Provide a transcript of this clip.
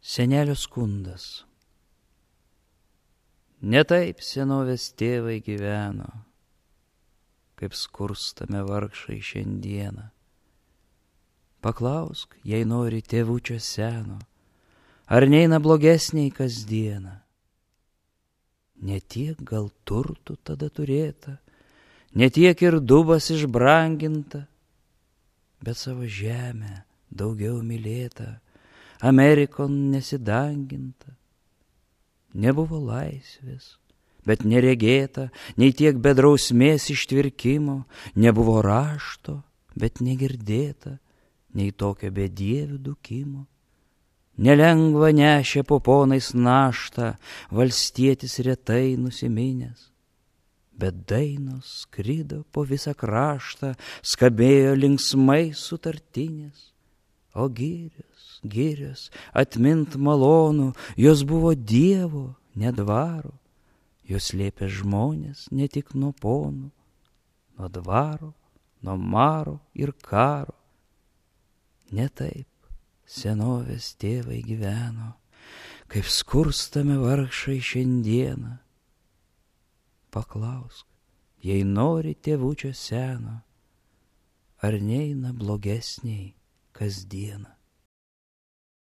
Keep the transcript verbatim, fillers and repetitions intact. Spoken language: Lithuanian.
Senelio skundas. Ne taip senovės tėvai gyveno, kaip skurstame vargšai šiandieną. Paklausk, jei nori tėvučio seno, ar neina blogesniai kasdieną. Ne tiek gal turtų tada turėta, ne tiek ir dubas išbranginta, bet savo žemę daugiau mylėta, Amerikon nesidanginta. Nebuvo laisvės, bet neregėta, nei tiek be drausmės ištvirkimo, nebuvo rašto, bet negirdėta, nei tokio bedievių dukimo. Nelengva nešė poponais naštą valstietis retai nusiminęs, bet dainos skrido po visą kraštą, skambėjo linksmai sutartinės, o girios, girios, atmint malonu, jos buvo dievo, ne dvaro, jos slėpė žmonės ne tik nuo ponų, nuo dvaro, nuo maro ir karo. Ne taip senovės tėvai gyveno, kaip skurstame vargšai šiandieną. Paklausk, jei nori tėvučio seno, ar neina blogesniai kasdieną.